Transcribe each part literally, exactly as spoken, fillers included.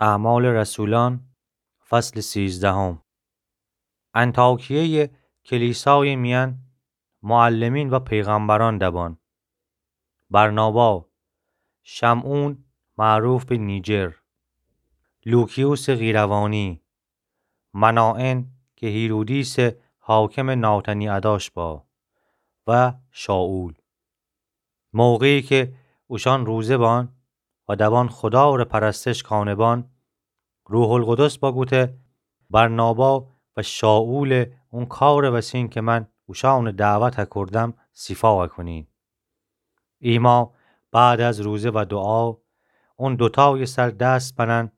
اعمال رسولان، فصل سیزدهم. انطاکیهٔ کلیسای میان معلمین و پیغمبران دبان: برنابا، شمعون معروف به نیجر، لوکیوس قیروانی، منائن که هیرودیس حاکم ناتنی اداش با، و شائول. موقعی که اوشان روزه بان و دبان خدا ره پرستش کانه بان، روح‌القدس بگوته: برنابا و شائول اون کار وسین که من اوشان دعوت کردم، سیفا کونین. ایما بعد از روزه و دعا، اون دوتای سر دست بنن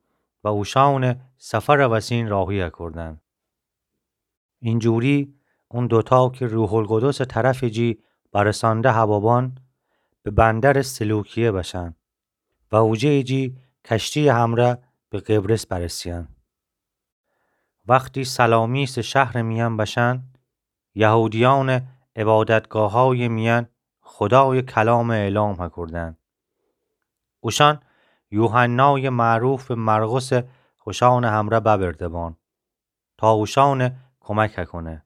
و اوشان سفر وسین راهی کردن. اینجوری اون دوتا که روح‌القدس طرف جی برسانده هبابان، به بندر سلوکیه بشن و اوجه جی کشتی همره به قبرس برسین. وقتی سلامیس شهر میان بشن، یهودیان عبادتگاهای میان خدای کلام اعلام کردن. اوشان یوحنای معروف به مرقس خوشان همره ببرده بان تا اوشان کمک کونه.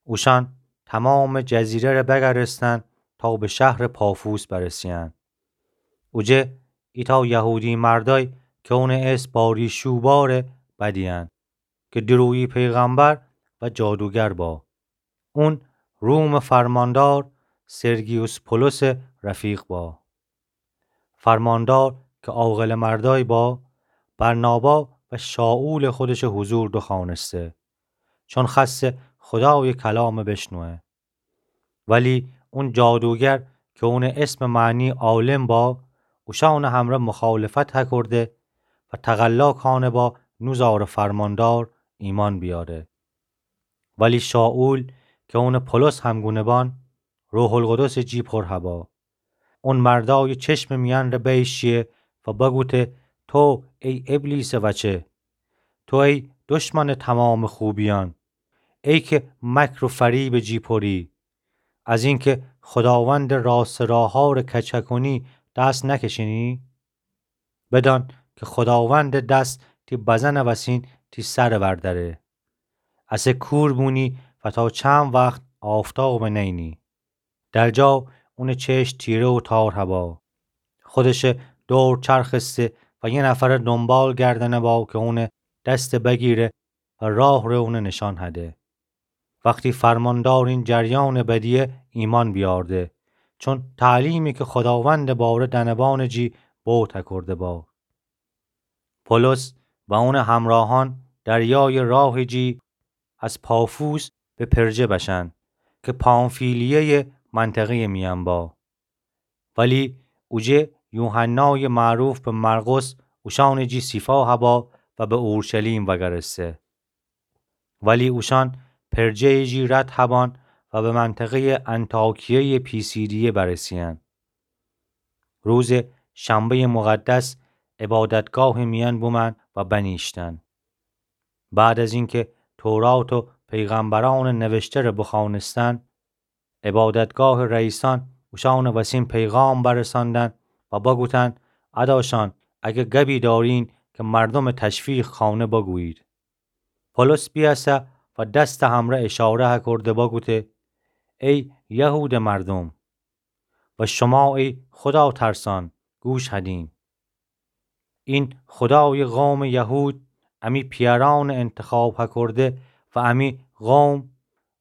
اوشان تمام جزیره ره بگرستن تا به شهر پافوس برسین. اوجه ایتا یهودی مردای که اون اسم بارشوبا ره بدین، که درویی پیغمبر و جادوگر با. اون روم فرماندار سرگیوس پولس رفیق با. فرماندار که عاقل مردای با، برنابا و شائول خودش حضور دوخوانسته، چون خواسته خدای کلام بشنوه. ولی اون جادوگر که اون اسم معنی عالم با، اوشان همره مخالفت هکرده و تقلا کانه با نوزار فرماندار ایمان بیاره. ولی شائول که اون پولس همگونه بان، روح‌القدس جی پر هبا. اون مردای چشم میان ره بیشیه و بگوته: تو ای ابلیس وچه، تو ای دشمن تمام خوبیان، ای که مکر و فریب جی پری، از اینکه خداوند راست راها ره کچ کنی دست نکشینی؟ بدان که خداوند دست تی بزن وسین تی سر ورداره. اسه کور بونی و تا چند وقت آفتاب نینی؟ در جا اون چشم تیره و تار هبا. خودش دور چرخسته و یه نفر دنبال گردنه با که اون دست بگیره و راه ره اون نشان هده. وقتی فرماندار این جریان بدیه، ایمان بیارده، چون تعلیمی که خداوند باره دنبان جی بو تکرده با. پولس و اون همراهان دریای راه جی از پافوس به پرجه بشن که پامفیلیهٔ منطقهٔ میان با. ولی اوجه یوحنای معروف به مرقس اوشان جی سیفا هبا و به اورشلیم وگرسته. ولی اوشان پرجه جی رد هبان و به منطقهٔ انطاکیهٔ پیسیدیه برسیان. روز شنبهٔ مقدس عبادتگاه میان بومن و بنیشتن. بعد از اینکه تورات و پیغمبران نوشته ره بخوانستن، عبادتگاه رئیسان اوشان وسین پیغام برساندن و بگوتن: اداشان، اگه گبی دارین که مردم تشویق کانه بگویید. پولس بیاسه و دست همره اشاره هکرده بگوته: ای یهود مردم و شما ای خدا ترسان، گوش هدین. این خدای قوم یهود امی پیاران انتخاب هکرده و امی قوم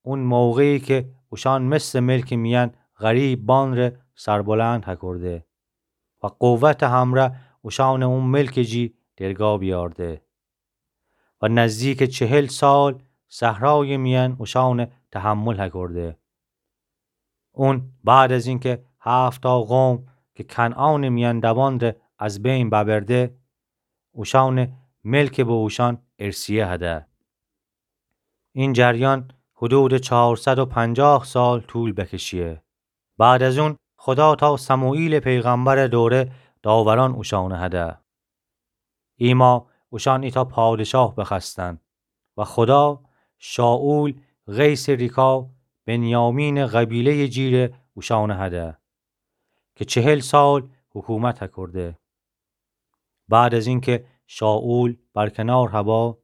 اون موقعی که اوشان مثل ملک میان غریب بان ره سربلند هکرده و قوت همره اوشان اون ملک جی درگا بیارده و نزدیک چهل سال صحرای میان اوشان تحمل هکرده. اون بعد از اینکه هفتا قوم که کنعان میان دبان ره از بین ببرده، اوشان ملک به اوشان ارثیه هده. این جریان حدود چهارصد و پنجاه سال طول بکشیه. بعد از اون خدا تا سموئیل پیغمبر دوره داوران اوشان هده. ایما اوشان ایتا پادشاه بخوأستن و خدا شائول قیس ریکا بنیامین قبیلهٔ جیره اوشان هده که چهل سال حکومت هکرده. بعد از اینکه شائول برکنار هبا،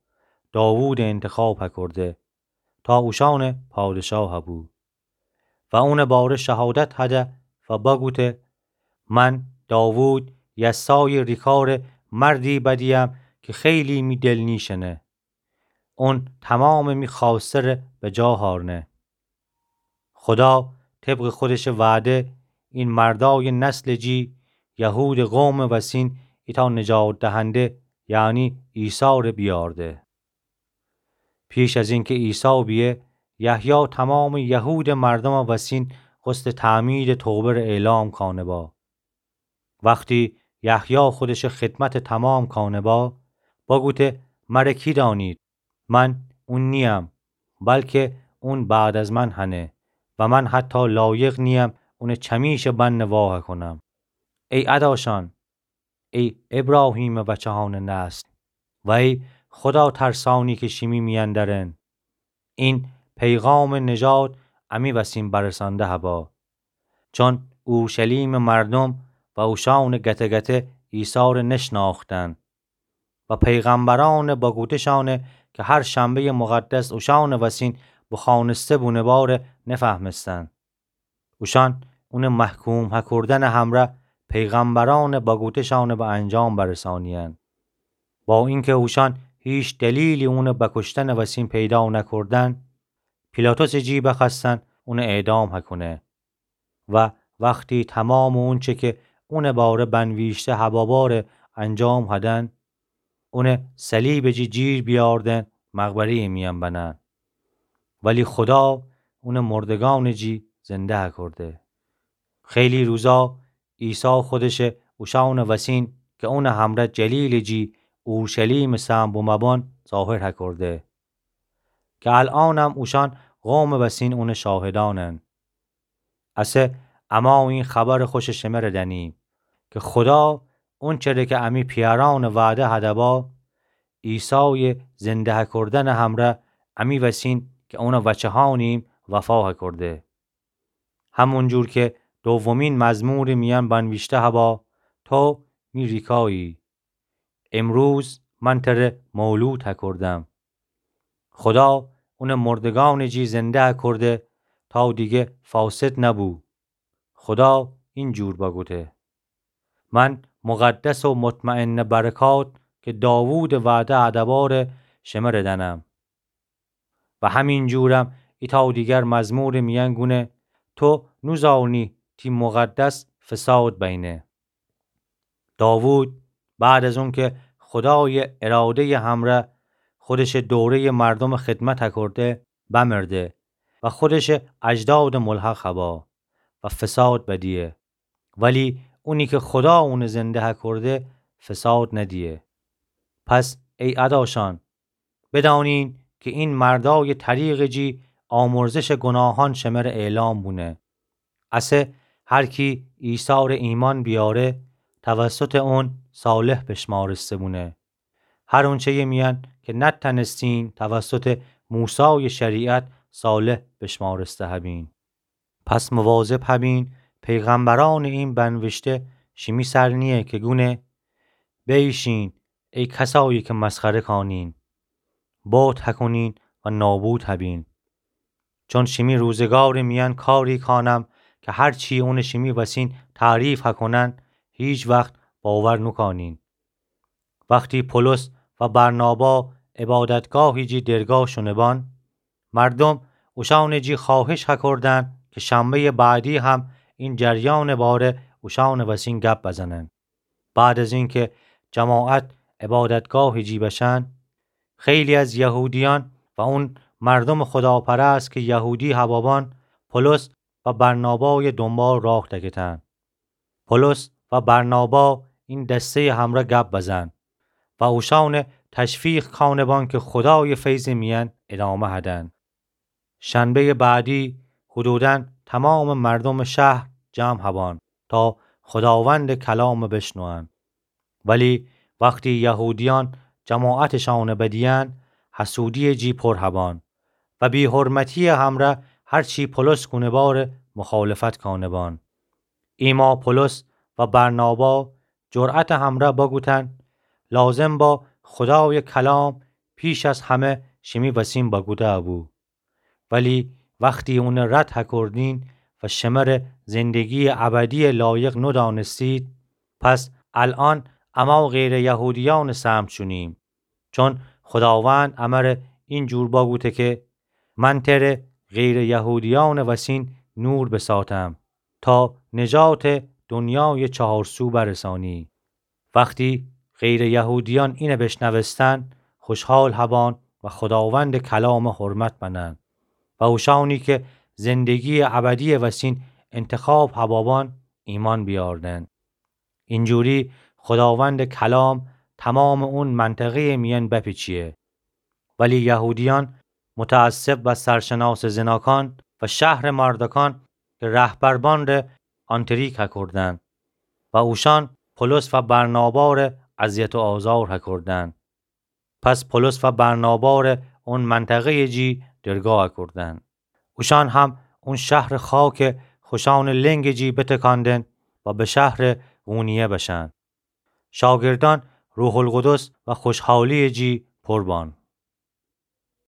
داوودٚ انتخاب هکرده تا اوشأنٚ پادشاه هبو. و اونٚ باره شهادت هده و بگوته: من داوود یسایٚ ریکارٚ مردی بدیم که خیلی می دل نیشنه. اون تمامٚ می خوأستره به جا هأرنه. خودا طبقٚ خودشٚ وعده این مردایٚ نسلٚ جی، یهودٚ قومٚ وسین، ایتأ نجات دهنده، یعنی عیساره بیأرده. پیش از اینکه عیسی بیه، یحیی تمامٚ یهودٚ مردومٚ وسین غسلٚ تعمیدٚ توبه‌ره اعلام کانه با. وختی یحیی خودشٚ خدمتٚ تمام کانه با، بگوته: مره کی دأنید؟ من اون نیم، بلکه اون بعد از من هنه و من حتی لایق نیم اونٚ چمیشٚ بنه وا هکونم. ای اداشأن، ای ابراهیمٚ وچه‌هانٚ نسل و ای خودا ترسأنی که شیمی میأن دأرن، این پیغامٚ نجات امی وسین برسانده هبا. چون اورشلیمٚ مردوم و اوشأنٚ گته‌گته عیساره نشنأختن و پیغمبرأنٚ بگوتشأنه که هر شنبه‌یٚ مقدس اوشأنٚ وسین بوخوأنسته بونه باره نفهمستن. اوشأن اونٚ محکوم هکردنٚ همره پیغمبرأنٚ بگوتشأنه به انجام برسأنیأن. با اینکه اوشأن هیچ دلیلی اونٚ بکشتنٚ وسین پیدا نکردن، پیلاطسٚ جی بخوأستن اونٚ اعدام هکونه. و وختی تمامٚ اونچه که اونٚ باره بنویشته هبا باره انجام هدن، اونه صلیبٚ جی جیر بیاردن مقبره‌یٚ میأن بنن. ولی خودا اونه مردگأنٚ جی زنده هکرده. خیلی روزا عیسی خودشه اوشأنٚ وسین که اونٚ همره جلیلٚ جی اورشلیمٚ سهم بومه‌بان ظاهر هکرده، که الأنم اوشأن قومٚ وسین اونٚ شاهدأنن. اسه اما این خبرٚ خوشٚ شمره دأنیم که خودا اونچره که امی پیأرأنٚ وعده هده با، عیسایٚ زنده هکردنٚ همره امی وسین که اونٚ وچه‌هأنیم وفا هکرده. همونجور که دومین مزمورٚ میأن بنویشته هبا: تو می ریکایی، امروز من تره مولود هکردم. خودا اونٚ مردگأنٚ جی زنده هکرده تا دیگه فاسد نبو. خودا اینجور بگوته: من مقدس و مطمئنٚ برکات که داوودٚ وعده هده باره شمره دأنم. و همینجورم ایتأ دیگر مزمورٚ میأن گونه: تو نوزأنی تی مقدس فساد بینه. داوود بعد از اونکه خودایٚ اراده‌یٚ همره خودشٚ دوره‌یٚ مردومٚ خدمت هکرده، بمرده و خودشٚ اجدادٚ ملحق هبا و فساد بدیه. ولی اونی که خودا اونٚ زنده هکرده، فساد ندیه. پس ای اداشأن، بدأنین که این مردایٚ طریقٚ جی آمرزشٚ گوناهأن شمره اعلام بونه. اسه هر کی عیساره ایمأن بیاره، توسطٚ اون صالح بشمارسته بونه. هر اونچه‌یٚ میأن که نتأنستین توسطٚ موسایٚ شریعت صالح بشمارسته هبین. پس مواظب هبین، پیغمبرأنٚ این بنوشته شیمی سر نییه که گونه: بیشین، ای کسایی که مسخره کانین، بهت هکونین و نابود هبین. چون شیمی روزگارٚ میأن کاری کانم که هر چی اونٚ شیمی وسین تعریف هکونن، هیچ وخت باور نوکانین. وختی پولس و برنابا عبادتگاهٚ جی درگاه شونه بان، مردوم اوشأنٚ جی خوأهش هکردن که شنبه‌یٚ بعدی هم این جریانٚ باره اوشأنٚ وسین گپ بزنن. بعد از اینکه جماعت عبادتگاهٚ جی بشن، خیلی از یهودیأن و اون مردومٚ خداپرست که یهودی هبابان، پولس و برنابایٚ دونبال راه دکتن. پولس و برنابا این دسته‌یٚ همرأ گپ بزن و اوشأنٚ تشویق کانه بان که خودایٚ فیضٚ میأن ادامه هدن. شنبه‌یٚ بعدی حدوداً تمامٚ مردومٚ شهر جمع هبان تا خوداوندٚ کلام بشنون. ولی وختی یهودیأن جماعتٚ شأنٚ بدیأن، حسودی‌یٚ جی پر هبان و بی‌حرمتی‌یٚ همرأ هر چی پولس گونه باره مخالفت کانه بان. ایما پولس و برنابا جرأتٚ همرأ بگوتن: لازم با خودایٚ کلام پیش از همه شیمی وسین بگوده بو. ولی وختی اونٚ رد هکردین و شمره زندگییٚ ابدییٚ لایق نودانستید، پس الأن امأ و غیرٚ یهودیأنٚ سمت شونیم. چون خوداوند امره اینجور بگوته که من تره غیرٚ یهودیأنٚ وسین نور بساتم تا نجاتٚ دنیایٚ چهار سو برسانی. وختی غیرٚ یهودیأن اینه بیشنوستن، خوشحال هبان و خوداوندٚ کلامٚ حرمت بنن و اوشأنی که زندگییٚ ابدییٚ وسین انتخاب هبابان ایمأن بیأردن. اینجوری خوداوندٚ کلام تومامٚ اون منطقهیٚ میأن بپیچیه. ولی یهودیأن متعصب و سرشناسٚ زناکان و شهرٚ مردکان که رهبر بان ره آنتریک هکردن و اوشأن پولس و برنابا ره اذیت و آزار هکردن. پس پولس و برنابا ره اون منطقهیٚ جی درگاه هکردن. اوشأن هم اون شهرٚ خاکه خوشأنٚ لنگٚ جی بتکاندن و به شهرٚ قونیه بشن. شاگردأن روح‌القدس و خوشحالییٚ جی پر بان.